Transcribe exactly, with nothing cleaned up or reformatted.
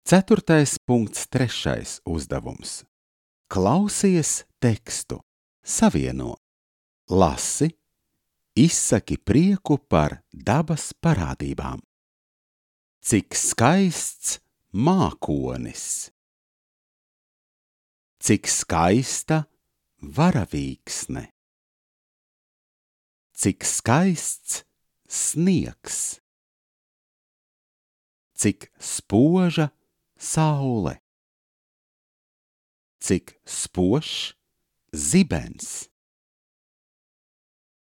Ceturtais punkts trešais uzdevums. Klausies tekstu, savieno, lasi, izsaki prieku par dabas parādībām. Cik skaists mākonis! Cik skaista varavīksne! Cik skaists sniegs! Cik spoža saule! Cik spožs zibens!